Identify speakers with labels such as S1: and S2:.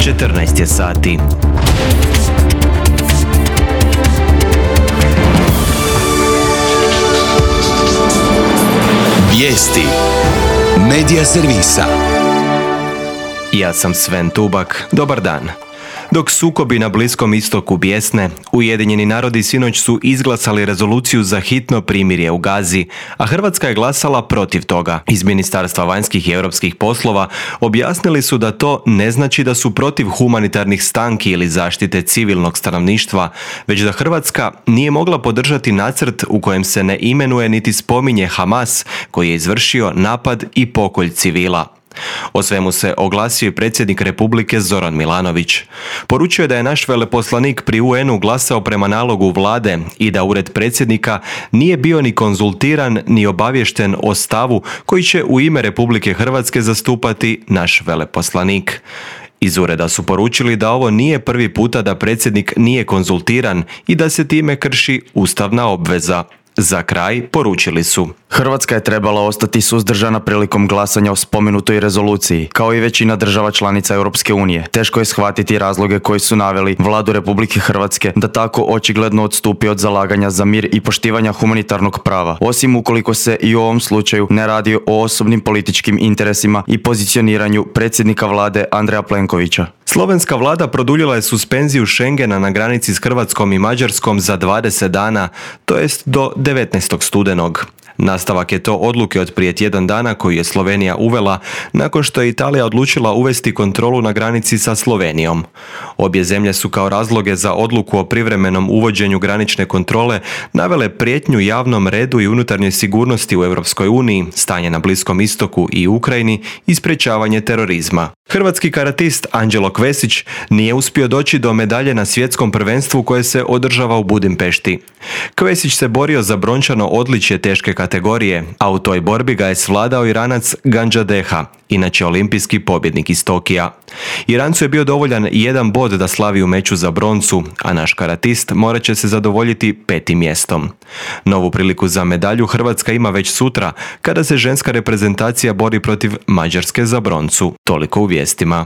S1: 14 je sati.
S2: Vijesti Medija servisa.
S1: Ja sam Sven Tubak. Dobar dan. Dok sukobi na Bliskom istoku bijesne, Ujedinjeni narodi sinoć su izglasali rezoluciju za hitno primirje u Gazi, a Hrvatska je glasala protiv toga. Iz Ministarstva vanjskih i europskih poslova objasnili su da to ne znači da su protiv humanitarnih stanki ili zaštite civilnog stanovništva, već da Hrvatska nije mogla podržati nacrt u kojem se ne imenuje niti spominje Hamas, koji je izvršio napad i pokolj civila. O svemu se oglasio i predsjednik Republike Zoran Milanović. Poručio je da je naš veleposlanik pri UN-u glasao prema nalogu vlade i da ured predsjednika nije bio ni konzultiran ni obaviješten o stavu koji će u ime Republike Hrvatske zastupati naš veleposlanik. Iz ureda su poručili da ovo nije prvi puta da predsjednik nije konzultiran i da se time krši ustavna obveza. Za kraj poručili su:
S3: Hrvatska je trebala ostati suzdržana prilikom glasanja o spomenutoj rezoluciji, kao i većina država članica Europske unije. Teško je shvatiti razloge koji su naveli vladu Republike Hrvatske da tako očigledno odstupi od zalaganja za mir i poštivanja humanitarnog prava, osim ukoliko se i u ovom slučaju ne radi o osobnim političkim interesima i pozicioniranju predsjednika vlade Andreja Plenkovića.
S1: Slovenska vlada produljila je suspenziju Schengena na granici s Hrvatskom i Mađarskom za 20 dana, to jest do 19. studenog. Nastavak je to odluke od prije tjedan dana koju je Slovenija uvela nakon što je Italija odlučila uvesti kontrolu na granici sa Slovenijom. Obje zemlje su kao razloge za odluku o privremenom uvođenju granične kontrole navele prijetnju javnom redu i unutarnjoj sigurnosti u Europskoj uniji, stanje na Bliskom istoku i Ukrajini i sprječavanje terorizma. Hrvatski karatist Anđelo Kvesić nije uspio doći do medalje na svjetskom prvenstvu koje se održava u Budimpešti. Kvesić se borio za brončano odličje teške kategorije, a u toj borbi ga je svladao Iranac Ganđadeha, inače olimpijski pobjednik iz Tokija. Irancu je bio dovoljan jedan bod da slavi u meču za broncu, a naš karatist morat će se zadovoljiti 5. mjestom. Novu priliku za medalju Hrvatska ima već sutra, kada se ženska reprezentacija bori protiv Mađarske za broncu. Toliko u vijestima.